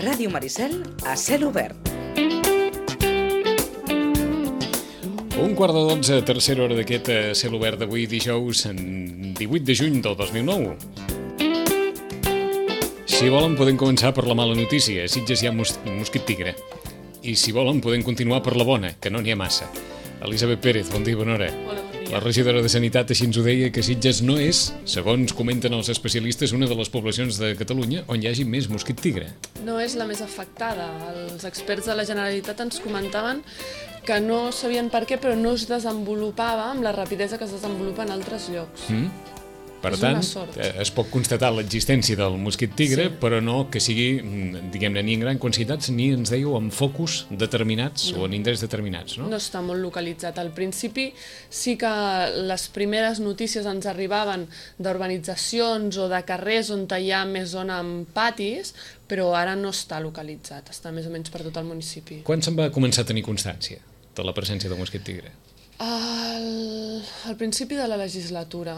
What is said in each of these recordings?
Ràdio Maricel a cel obert. 11:45, tercera hora d'aquest cel obert d'avui, dijous 18 de juny del 2009. Si volen, podem començar per la mala notícia. A Sitges hi ha mosquit tigre. I si volen, podem continuar per la bona, que no n'hi ha massa. Elisabet Pérez, bon dia, bona hora. Hola, bon dia. La regidora de Sanitat així ens ho deia, que Sitges no és, segons comenten els especialistes, una de les poblacions de Catalunya on hi hagi més mosquit tigre. No és la més afectada. Els experts de la Generalitat ens comentaven que no sabien per què, però no es desenvolupava amb la rapidesa que es desenvolupa en altres llocs. Per És tant, una sort. es pot constatar l'existència del mosquit tigre, Sí. però no que sigui, diguem-ne, ni en gran quantitats, ni, ens dèieu, en focus determinats o en indrets determinats, no? No està molt localitzat. Al principi sí que les primeres notícies ens arribaven d'urbanitzacions o de carrers on hi ha més zona amb patis, però ara no està localitzat, està més o menys per tot el municipi. Quan se'n va començar a tenir constància de la presència del mosquit tigre? Al principi de la legislatura.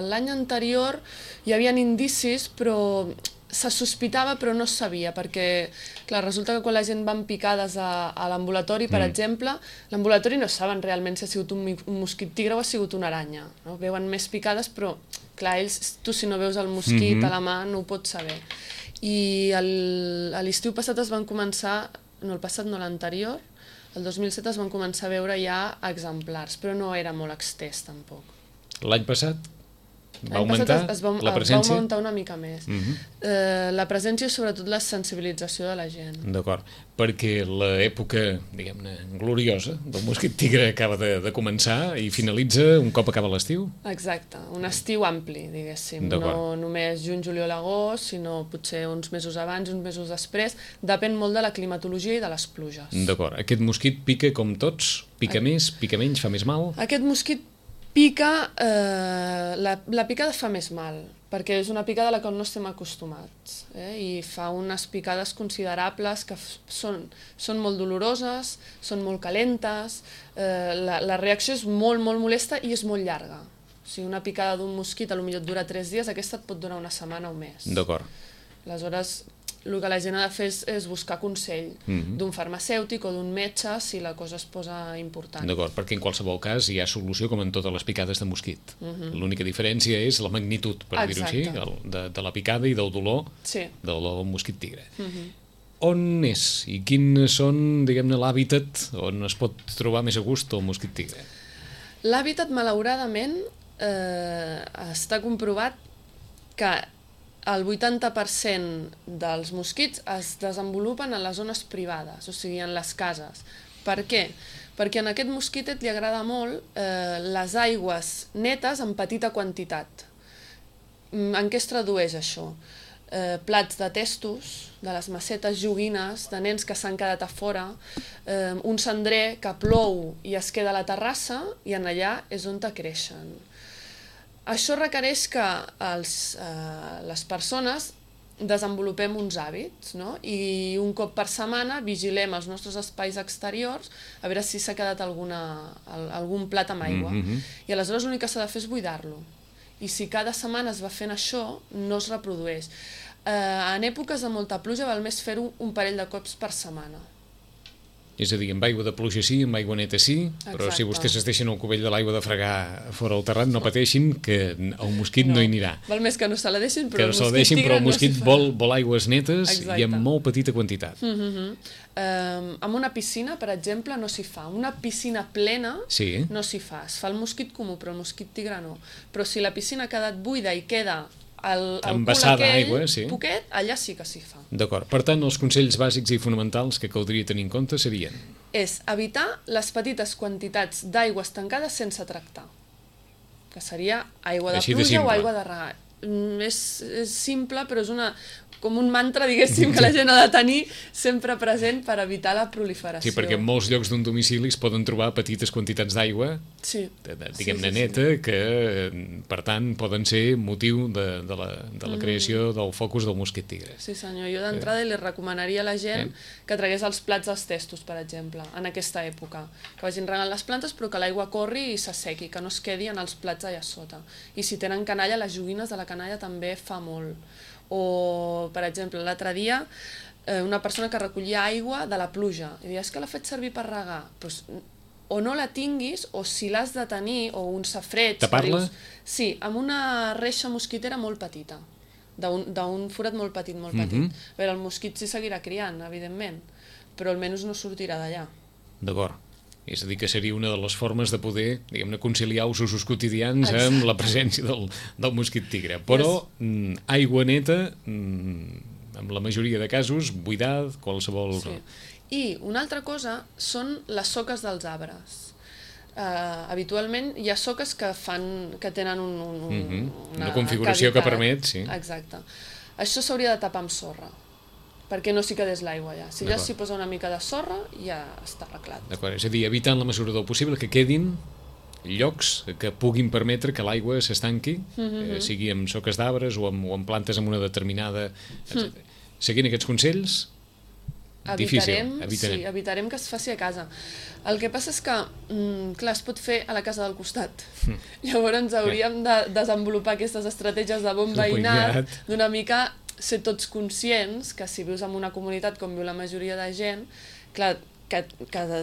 L'any anterior hi havia indicis, però se sospitava però no es sabia, perquè clar, resulta que quan la gent van picades a l'ambulatori, per exemple, l'ambulatori no saben realment si ha sigut un mosquit tigre o ha sigut una aranya. No? Veuen més picades, però clar, ells, tu si no veus el mosquit a la mà no ho pots saber. I a l'estiu passat es van començar, no el passat, no l'anterior, el 2007 es van començar a veure ja exemplars, però no era molt extès tampoc. L'any passat va L'any augmentar passat es va, la presència? va augmentar una mica més. La presència i sobretot la sensibilització de la gent. D'acord, perquè l'època, diguem-ne, gloriosa del mosquit tigre acaba de començar i finalitza un cop acaba l'estiu? Exacte, un estiu ampli, diguéssim. No només juny, juliol, agost, sinó potser uns mesos abans i uns mesos després. Depèn molt de la climatologia i de les pluges. D'acord, aquest mosquit pica com tots? Pica més, pica menys, fa més mal? Aquest mosquit pica, la picada fa més mal, perquè és una picada a la qual no estem acostumats, i fa unes picades considerables que són molt doloroses, són molt calentes, la reacció és molt, molt molesta i és molt llarga. O sigui, una picada d'un mosquit potser et dura 3 dies, aquesta et pot durar una setmana o més. D'acord. Aleshores, el que la gent ha de fer és buscar consell d'un farmacèutic o d'un metge si la cosa es posa important. D'acord, perquè en qualsevol cas hi ha solució com en totes les picades de mosquit. L'única diferència és la magnitud, per dir-ho així, de la picada i del dolor del mosquit tigre. On és i quins són, diguem-ne, l'hàbitat on es pot trobar més a gust el mosquit tigre? L'hàbitat, malauradament, està comprovat que el 80% dels mosquits es desenvolupen en les zones privades, o sigui, en les cases. Per què? Perquè en aquest mosquitet li agrada molt les aigües netes en petita quantitat. En què es tradueix això? Plats de testos, de les macetes, joguines, de nens que s'han quedat a fora, un cendrer que plou i es queda a la terrassa i en allà és on creixen. Això requereix que les persones desenvolupem uns hàbits, no? I un cop per setmana vigilem els nostres espais exteriors a veure si s'ha quedat algun plat amb aigua. I aleshores l'únic que s'ha de fer és buidar-lo. I si cada setmana es va fent això, no es reprodueix. En èpoques de molta pluja val més fer-ho un parell de cops per setmana. És a dir, amb aigua de pluja sí, amb aigua neta sí, però si vostès es deixen el cubell de l'aigua de fregar fora al terrat, no pateixin, que el mosquit no hi anirà. Val més que no se la deixin, però el mosquit vol aigües netes i en molt petita quantitat. Amb una piscina, per exemple, no s'hi fa. Una piscina plena no s'hi fa. Es fa el mosquit comú, però el mosquit tigre no. Però si la piscina ha quedat buida i queda el cul aquell poquet, allà sí que s'hi fa. D'acord. Per tant, els consells bàsics i fonamentals que caldria tenir en compte serien? És evitar les petites quantitats d'aigües tancades sense tractar, que seria aigua de pluja o aigua de regar. És simple, però és com un mantra, diguéssim, que la gent ha de tenir sempre present per evitar la proliferació. Sí, perquè en molts llocs d'un domicili es poden trobar petites quantitats d'aigua, diguem-ne neta, que per tant poden ser motiu de la creació del focus del mosquit tigre. Sí senyor, jo d'entrada li recomanaria a la gent que tragués els plats als testos, per exemple, en aquesta època, que vagin regant les plantes però que l'aigua corri i s'assequi, que no es quedi en els plats allà sota. I si tenen canalla, les joguines de la canalla també fa molt. O, per exemple, l'altre dia una persona que recollia aigua de la pluja, i deia, és que l'ha fet servir per regar, doncs o no la tinguis, o si l'has de tenir, o un safreig... Tapar-la? Sí, amb una reixa mosquitera molt petita, d'un forat molt petit, molt petit. A veure, el mosquit s'hi seguirà criant, evidentment, però almenys no sortirà d'allà. D'acord. És a dir, que seria una de les formes de poder, diguem-ne, conciliar els usos quotidians amb la presència del mosquit tigre. Però aigua neta, en la majoria de casos, buidat, qualsevol... Sí. I una altra cosa són les soques dels arbres. Habitualment hi ha soques que tenen una configuració que permet, sí. Exacte. Això s'hauria de tapar amb sorra, perquè no s'hi quedés l'aigua ja. Si ja s'hi posa una mica de sorra, ja està arreglat. D'acord, és a dir, evitant la mesura del possible que quedin llocs que puguin permetre que l'aigua s'estanqui, sigui amb soques d'arbres o amb plantes amb una determinada... Seguint aquests consells, evitarem que es faci a casa. El que passa és que, clar, es pot fer a la casa del costat. Llavors hauríem de desenvolupar aquestes estratègies de bon veïnat, d'una mica ser tots conscients que si vius en una comunitat com viu la majoria de gent, clar, que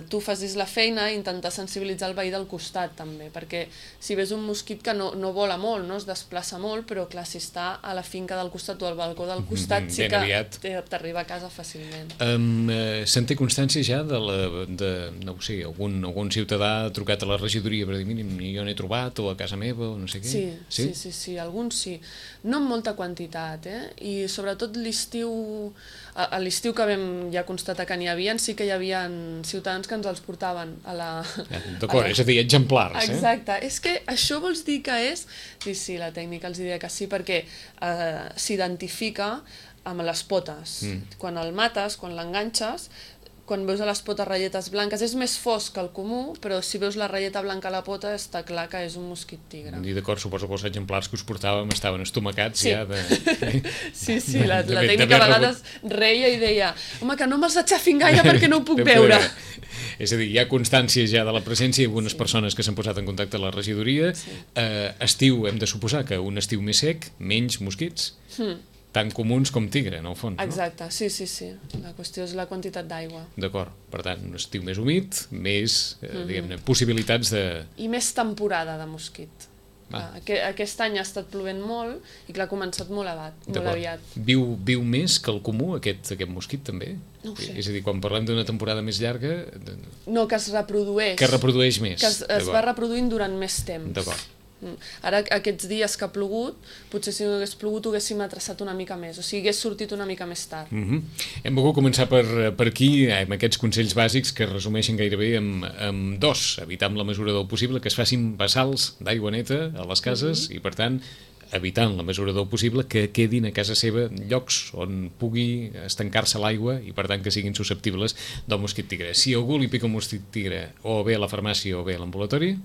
tu facis la feina i intentar sensibilitzar el veí del costat també, perquè si ves un mosquit que no vola molt, no es desplaça molt, però clar, si està a la finca del costat o al balcó del costat sí que t'arriba a casa fàcilment. Se'n té constància ja no ho sé, algun ciutadà ha trucat a la regidoria per dir, mínim, jo n'he trobat, o a casa meva, o no sé què? Sí, alguns sí. No en molta quantitat, i sobretot l'estiu que vam ja constatar que n'hi havia, sí que hi havia ciutadans que ens els portaven a la... D'acord, és a dir, exemplars. Exacte, és que això vols dir que és... Sí, la tècnica els diria que sí, perquè s'identifica amb les potes. Quan el mates, quan l'enganxes, quan veus a les potes ratlletes blanques, és més fosc que el comú, però si veus la ratlleta blanca a la pota està clar que és un mosquit tigre. I d'acord, suposo que els exemplars que us portàvem estaven estomacats ja de... Sí, la tècnica a vegades reia i deia home, que no me'ls aixafin gaire perquè no ho puc veure. És a dir, hi ha constància ja de la presència i algunes persones que s'han posat en contacte amb la regidoria. Estiu, hem de suposar que un estiu més sec, menys mosquits, tan comuns com tigre, en el fons. Exacte, sí. La qüestió és la quantitat d'aigua. D'acord, per tant, un estiu més humit, més, diguem-ne, possibilitats de... I més temporada de mosquit. Aquest any ha estat plovent molt i clar, ha començat molt aviat. Viu més que el comú, aquest mosquit, també? No ho sé. És a dir, quan parlem d'una temporada més llarga... No, que es reprodueix. Que reprodueix més. Que es va reproduint durant més temps. D'acord. Ara, aquests dies que ha plogut, potser si no hagués plogut ho haguéssim atraçat una mica més, o sigui, hagués sortit una mica més tard. Hem volgut començar per aquí, amb aquests consells bàsics que es resumeixen gairebé amb dos: evitar amb la mesura del possible que es facin bassals d'aigua neta a les cases i, per tant, evitant la mesura del possible que quedin a casa seva llocs on pugui estancar-se l'aigua i, per tant, que siguin susceptibles del mosquit tigre. Si algú li pica un mosquit tigre, o bé a la farmàcia o bé a l'ambulatori,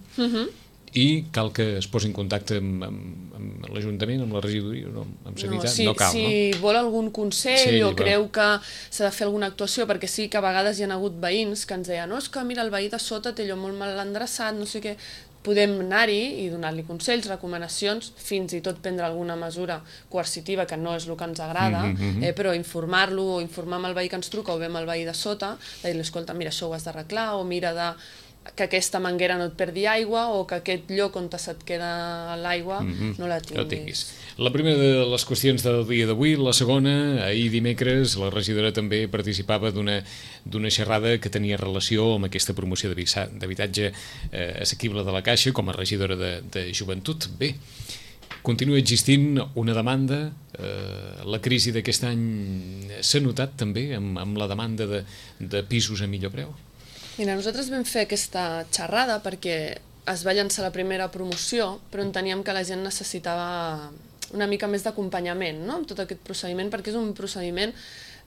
i cal que es posi en contacte amb l'Ajuntament, amb la regidoria, amb Sanitat, no cal, no? Si vol algun consell o creu que s'ha de fer alguna actuació, perquè sí que a vegades hi ha hagut veïns que ens deien, no, és que mira, el veí de sota té allò molt mal endreçat, no sé què, podem anar-hi i donar-li consells, recomanacions, fins i tot prendre alguna mesura coercitiva, que no és el que ens agrada, però informar-lo o informar amb el veí que ens truca o bé amb el veí de sota, de dir-li, escolta, mira, això ho has d'arreglar, o mira que aquesta manguera no et perdi aigua o que aquest lloc on se't queda l'aigua no la tinguis. La primera de les qüestions del dia d'avui. La segona, ahir dimecres, la regidora també participava d'una xerrada que tenia relació amb aquesta promoció d'habitatge assequible de la Caixa com a regidora de Joventut. Bé, continua existint una demanda. La crisi d'aquest any s'ha notat també amb la demanda de pisos a millor preu? Mira, nosaltres vam fer aquesta xerrada perquè es va llançar la primera promoció, però enteníem que la gent necessitava una mica més d'acompanyament, no?, amb tot aquest procediment, perquè és un procediment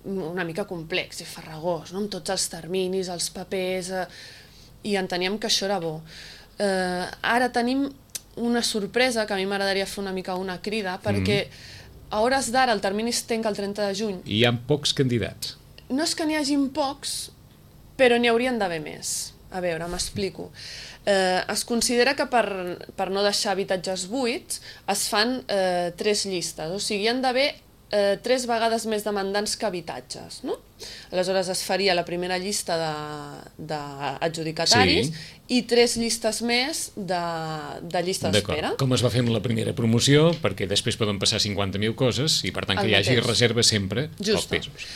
una mica complex i farragós, no?, amb tots els terminis, els papers, i enteníem que això era bo. Ara tenim una sorpresa, que a mi m'agradaria fer una mica una crida, perquè a hores d'ara el termini es tanca el 30 de juny. I hi ha pocs candidats. No és que n'hi hagin pocs, però n'hi haurien d'haver més. A veure, m'explico. Es considera que per no deixar habitatges buits es fan 3 llistes, o sigui, hi han d'haver 3 vegades més demandants que habitatges, no? Aleshores es faria la primera llista d'adjudicataris i 3 llistes més de llista d'espera. Com es va fer amb la primera promoció, perquè després poden passar 50.000 coses i per tant que hi hagi reserva sempre als pisos.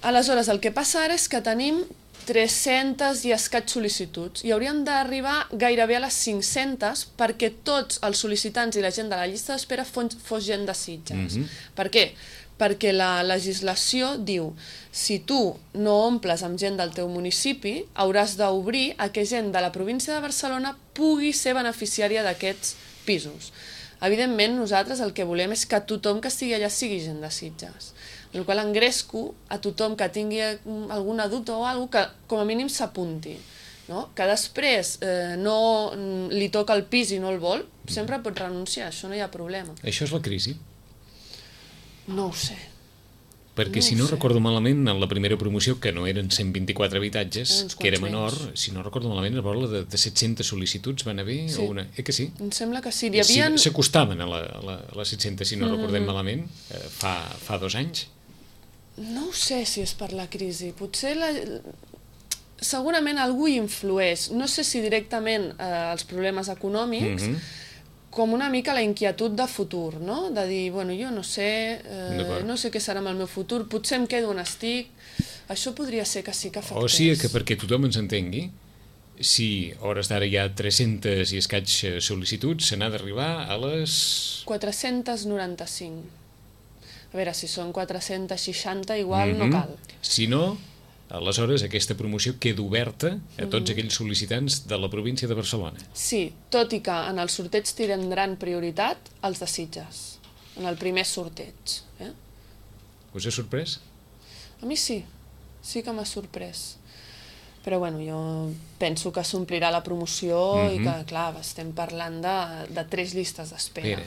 Aleshores, el que passa ara és que tenim 300 i escaig sol·licituds i hauríem d'arribar gairebé a les 500 perquè tots els sol·licitants i la gent de la llista d'espera fos gent de Sitges. Per què? Perquè la legislació diu si tu no omples amb gent del teu municipi, hauràs d'obrir a que gent de la província de Barcelona pugui ser beneficiària d'aquests pisos. Evidentment, nosaltres el que volem és que tothom que estigui allà sigui gent de Sitges. En el qual engresco a tothom que tingui alguna dubte o alguna cosa que com a mínim s'apunti. Que després no li toca el pis i no el vol, sempre pot renunciar, això no hi ha problema. Això és la crisi? No ho sé. Perquè si no recordo malament, en la primera promoció, que no eren 124 habitatges, que era menor, si no recordo malament, es parla de 700 sol·licituds van haver? Sí. Que sí? Em sembla que sí. S'acostaven a les 700, si no recordem malament, fa 2 anys. No ho sé si és per la crisi. Potser segurament algú hi influeix. No sé si directament els problemes econòmics, com una mica la inquietud de futur, no? De dir, bueno, jo no sé què serà amb el meu futur, potser em quedo on estic. Això podria ser que sí que afectés. O sigui que perquè tothom ens entengui, si a hores d'ara hi ha 300 i escaig sol·licituds, se n'ha d'arribar a les... 495. A veure, si són 460, igual no cal. Si no, aleshores aquesta promoció queda oberta a tots aquells sol·licitants de la província de Barcelona. Sí, tot i que en el sorteig tindran prioritat els de Sitges, en el primer sorteig. Us ha sorprès? A mi sí que m'ha sorprès. Però bueno, jo penso que s'omplirà la promoció i que, clar, estem parlant de 3 llistes d'espera.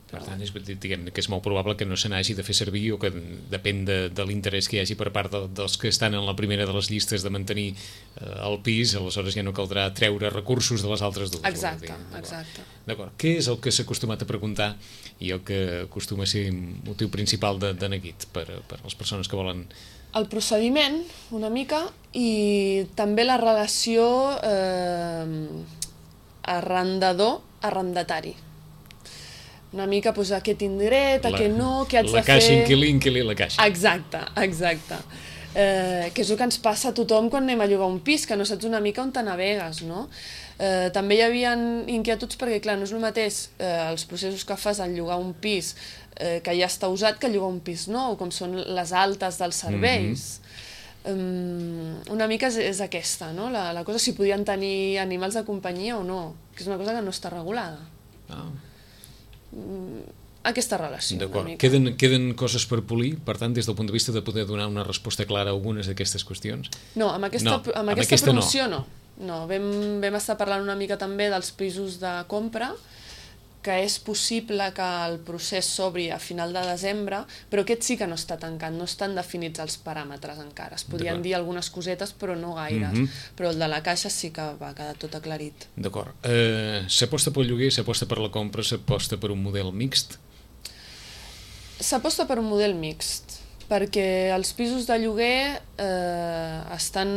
Per tant, diguem que és molt probable que no se n'hagi de fer servir o que depèn de l'interès que hi hagi per part dels que estan en la primera de les llistes de mantenir el pis, aleshores ja no caldrà treure recursos de les altres dues. Exacte. D'acord. Què és el que s'ha acostumat a preguntar i el que acostuma a ser motiu principal de neguit per les persones que volen... El procediment, una mica, i també la relació arrendador-arrendatari. Una mica, doncs, a què tinc dret, a què no, què haig de fer... La caixa, inquilí, la caixa. Exacte. Que és el que ens passa a tothom quan anem a llogar un pis, que no saps una mica on te navegues, no? També hi havia inquietuds perquè, clar, no és el mateix els processos que fas al llogar un pis que ja està usat que llogar un pis nou, com són les altes dels serveis. Una mica és aquesta, no? La cosa, si podien tenir animals de companyia o no, que és una cosa que no està regulada. Aquesta relació. D'acord. Queden coses per polir, per tant, des del punt de vista de poder donar una resposta clara a algunes d'aquestes qüestions? No, amb aquesta promoció no. Vam estar parlant una mica també dels pisos de compra, que és possible que el procés s'obri a final de desembre, però aquest sí que no està tancat, no estan definits els paràmetres encara. Es podien dir algunes cosetes, però no gaires. Però el de la caixa sí que va quedar tot aclarit. D'acord. S'aposta pel lloguer, s'aposta per la compra, s'aposta per un model mixt? S'aposta per un model mixt, perquè els pisos de lloguer estan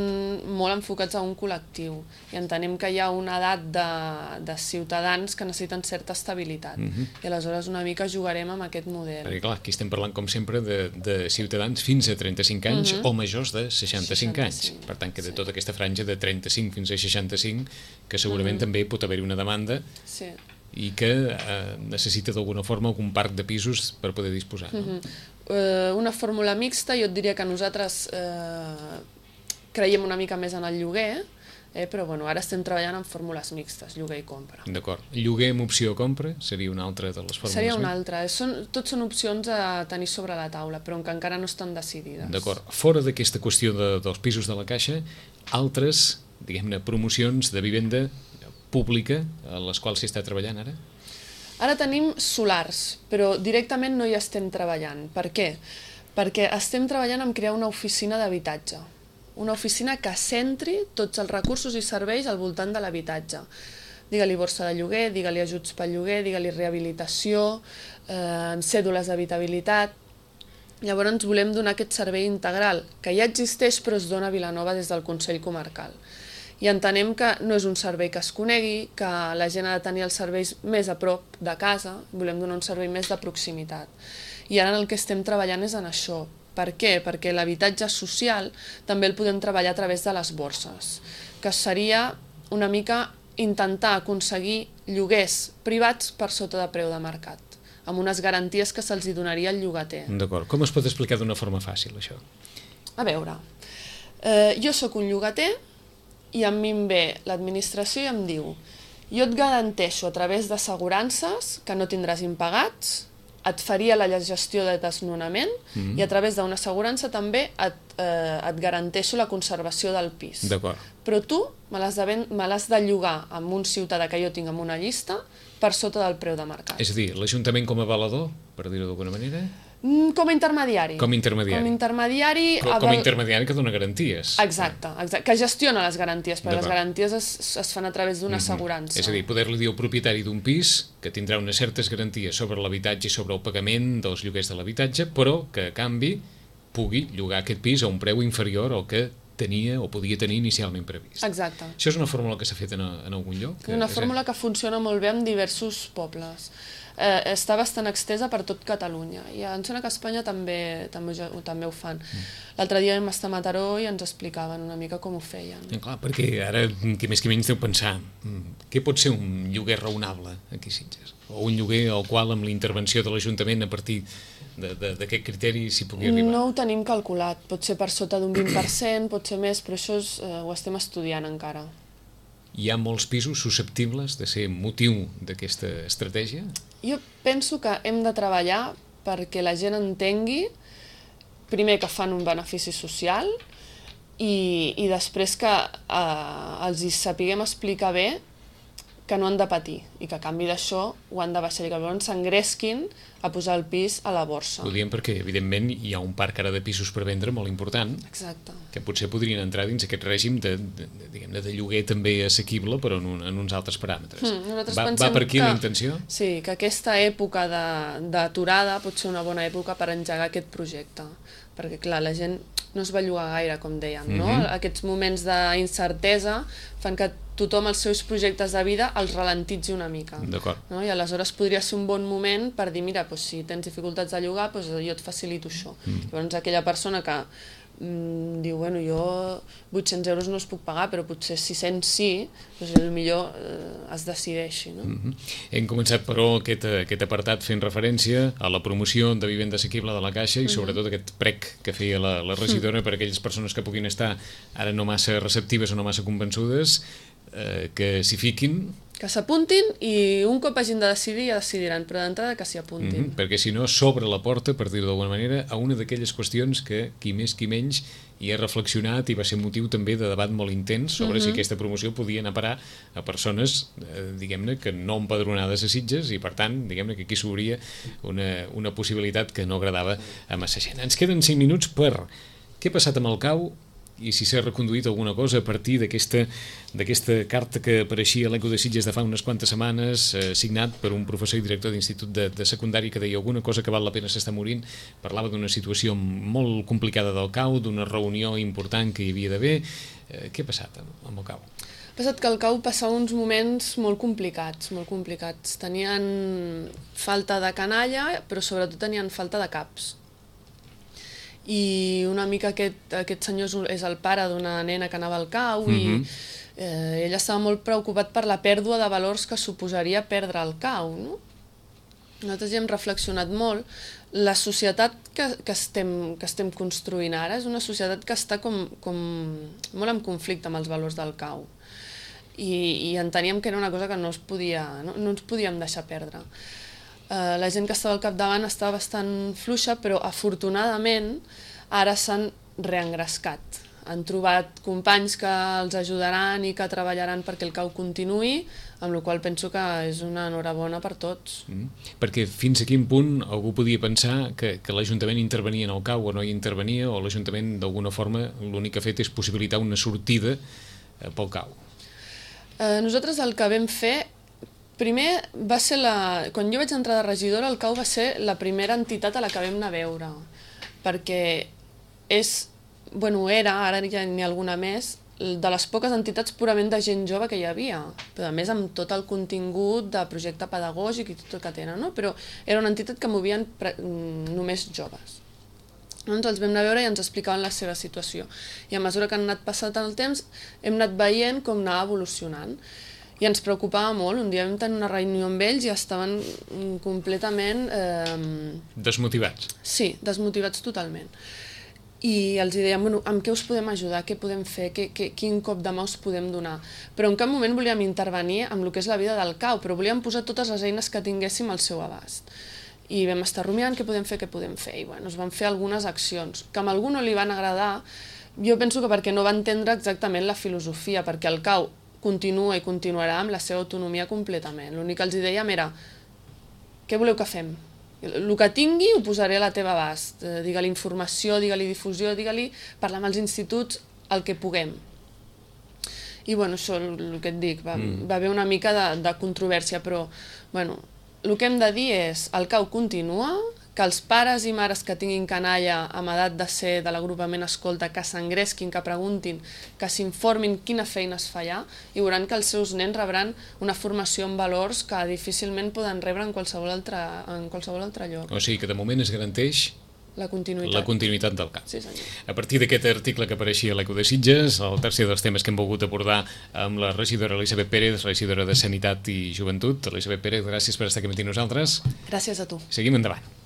molt enfocats a un col·lectiu i entenem que hi ha una edat de ciutadans que necessiten certa estabilitat i aleshores una mica jugarem amb aquest model. Perquè clar, aquí estem parlant com sempre de ciutadans fins a 35 anys o majors de 65 anys. Per tant, que de tota aquesta franja de 35 fins a 65 que segurament també pot haver-hi una demanda i que necessita d'alguna forma algun parc de pisos per poder disposar. Una fórmula mixta, jo et diria que nosaltres creiem una mica més en el lloguer, però ara estem treballant en fórmules mixtes, lloguer i compra. D'acord. Lloguer amb opció a compra seria una altra de les fórmules? Seria una altra. Tots són opcions a tenir sobre la taula, però que encara no estan decidides. D'acord. Fora d'aquesta qüestió dels pisos de la Caixa, altres, diguem-ne, promocions de vivenda pública a les quals s'hi està treballant ara? Ara tenim solars, però directament no hi estem treballant. Per què? Perquè estem treballant en crear una oficina d'habitatge. Una oficina que centri tots els recursos i serveis al voltant de l'habitatge. digue-li borsa de lloguer, digue-li ajuts pel lloguer, digue-li rehabilitació, cèdules d'habitabilitat. Llavors ens volem donar aquest servei integral, que ja existeix però es dona a Vilanova des del Consell Comarcal. I entenem que no és un servei que es conegui, que la gent ha de tenir els serveis més a prop de casa, volem donar un servei més de proximitat. I ara el que estem treballant és en això. Per què? Perquè l'habitatge social també el podem treballar a través de les borses, que seria una mica intentar aconseguir lloguers privats per sota de preu de mercat, amb unes garanties que se'ls donaria al llogater. D'acord. Com es pot explicar d'una forma fàcil, això? A veure, jo sóc un llogater i a mi em ve l'administració i em diu: jo et garanteixo a través d'assegurances que no tindràs impagats, et faria la gestió de desnonament i a través d'una assegurança també et garanteixo la conservació del pis. D'acord. Però tu me l'has de llogar amb un ciutadà que jo tinc en una llista per sota del preu de mercat. És a dir, l'Ajuntament com a avalador, per dir-ho d'alguna manera? Com a intermediari. Com a intermediari. Com a intermediari que dona garanties. Exacte, que gestiona les garanties, perquè les garanties es fan a través d'una assegurança. És a dir, poder-li dir al propietari d'un pis que tindrà unes certes garanties sobre l'habitatge i sobre el pagament dels lloguers de l'habitatge, però que a canvi pugui llogar aquest pis a un preu inferior al que tenia o podia tenir inicialment previst. Exacte. Això és una fórmula que s'ha fet en algun lloc? Una fórmula que funciona molt bé en diversos pobles. Està bastant extesa per tot Catalunya i em sembla que a Espanya també ho fan. L'altre dia vam estar a Mataró i ens explicaven una mica com ho feien. Clar, perquè ara, qui més que menys deu pensar què pot ser un lloguer raonable aquí a Sitges? O un lloguer al qual amb la intervenció de l'Ajuntament a partir d'aquest criteri s'hi pugui arribar? No ho tenim calculat, pot ser per sota d'un 20%, pot ser més, però això ho estem estudiant encara. Hi ha molts pisos susceptibles de ser motiu d'aquesta estratègia? Jo penso que hem de treballar perquè la gent entengui, primer, que fan un benefici social i després que els hi sapiguem explicar bé que no han de patir i que a canvi d'això ho han de baixar i que llavors s'engresquin a posar el pis a la borsa. Ho diem perquè, evidentment, hi ha un parc ara de pisos per vendre molt important. Exacte. Que potser podrien entrar dins aquest règim de lloguer també assequible, però en uns altres paràmetres. Va per aquí la intenció? Sí, que aquesta època d'aturada pot ser una bona època per engegar aquest projecte. Perquè, clar, la gent no es belluga gaire, com dèiem, no? Aquests moments d'incertesa fan que tothom els seus projectes de vida els ralentitzi una mica. D'acord. No? I aleshores podria ser un bon moment per dir, mira, si tens dificultats de llogar, jo et facilito això. Llavors aquella persona que diu, bueno, jo 800 euros no els puc pagar, però potser 600 sí, potser es decideixi. No? Hem començat, però, aquest apartat fent referència a la promoció de vivenda assequible de la Caixa i sobretot aquest prec que feia la regidora per a aquelles persones que puguin estar ara no massa receptives o no massa convençudes, que s'hi fiquin. Que s'apuntin i un cop hagin de decidir ja decidiran, però d'entrada que s'hi apuntin. Perquè si no s'obre la porta, per dir-ho d'alguna manera, a una d'aquelles qüestions que qui més qui menys hi ha reflexionat i va ser motiu també de debat molt intens sobre si aquesta promoció podia anar a parar a persones, diguem-ne, que no empadronades a Sitges i per tant, diguem-ne que aquí s'obria una possibilitat que no agradava a massa gent. Ens queden 5 minuts per què ha passat amb el CAU i si s'ha reconduït alguna cosa a partir d'aquesta carta que apareixia a l'Eco de Sitges de fa unes quantes setmanes, signat per un professor i director d'institut de secundari que deia alguna cosa que val la pena s'està morint, parlava d'una situació molt complicada del CAU, d'una reunió important que hi havia d'haver. Què ha passat amb el CAU? Ha passat que el CAU passava uns moments molt complicats, molt complicats. Tenien falta de canalla, però sobretot tenien falta de caps. I una mica aquest senyor és el pare d'una nena que anava al CAU i ell estava molt preocupat per la pèrdua de valors que suposaria perdre el CAU, no? Nosaltres hi hem reflexionat molt. La societat que estem construint ara és una societat que està com molt en conflicte amb els valors del CAU i enteníem que era una cosa que no ens podíem deixar perdre. La gent que estava al capdavant estava bastant fluixa, però afortunadament ara s'han reengrescat. Han trobat companys que els ajudaran i que treballaran perquè el CAU continuï, amb la qual penso que és una enhorabona per tots. Perquè fins a quin punt algú podia pensar que l'Ajuntament intervenia en el CAU o no hi intervenia, o l'Ajuntament d'alguna forma l'únic que ha fet és possibilitar una sortida pel CAU? Nosaltres el que vam fer, primer va ser quan jo vaig entrar de regidora, el CAU va ser la primera entitat a la que vam anar a veure, perquè era, ara ja n'hi ha alguna més, de les poques entitats purament de gent jove que hi havia, però a més amb tot el contingut de projecte pedagògic i tot el que tenen, no? Però era una entitat que movien només joves. Doncs els vam anar a veure i ens explicaven la seva situació. I a mesura que han anat passant el temps, hem anat veient com anava evolucionant. I ens preocupava molt. Un dia vam tenir una reunió amb ells i estaven completament... Desmotivats. Sí, desmotivats totalment. I els dèiem, amb què us podem ajudar, què podem fer, quin cop de mà us podem donar. Però en cap moment volíem intervenir amb el que és la vida del CAU, però volíem posar totes les eines que tinguéssim al seu abast. I vam estar rumiant què podem fer, I es van fer algunes accions, que a algú no li van agradar, jo penso que perquè no va entendre exactament la filosofia, perquè el CAU continua i continuarà amb la seva autonomia completament. L'únic que els dèiem era, què voleu que fem? El que tingui ho posaré a la teva abast. Digue-li informació, digue-li difusió, digue-li parlar amb els instituts, el que puguem. I això, el que et dic, va haver una mica de controvèrsia, però el que hem de dir és el CAU continua, que els pares i mares que tinguin canalla amb edat de ser de l'agrupament Escolta, que s'engresquin, que preguntin, que s'informin quina feina es fa allà, i veuran que els seus nens rebran una formació en valors que difícilment poden rebre en qualsevol altre lloc. O sigui que de moment es garanteix la continuïtat del CAU. Sí, senyor. A partir d'aquest article que apareixia a l'Eco de Sitges, el tercer dels temes que hem volgut abordar amb la regidora Elisabet Pérez, regidora de Sanitat i Joventut. Elisabet Pérez, gràcies per estar aquí amb nosaltres. Gràcies a tu. Seguim endavant.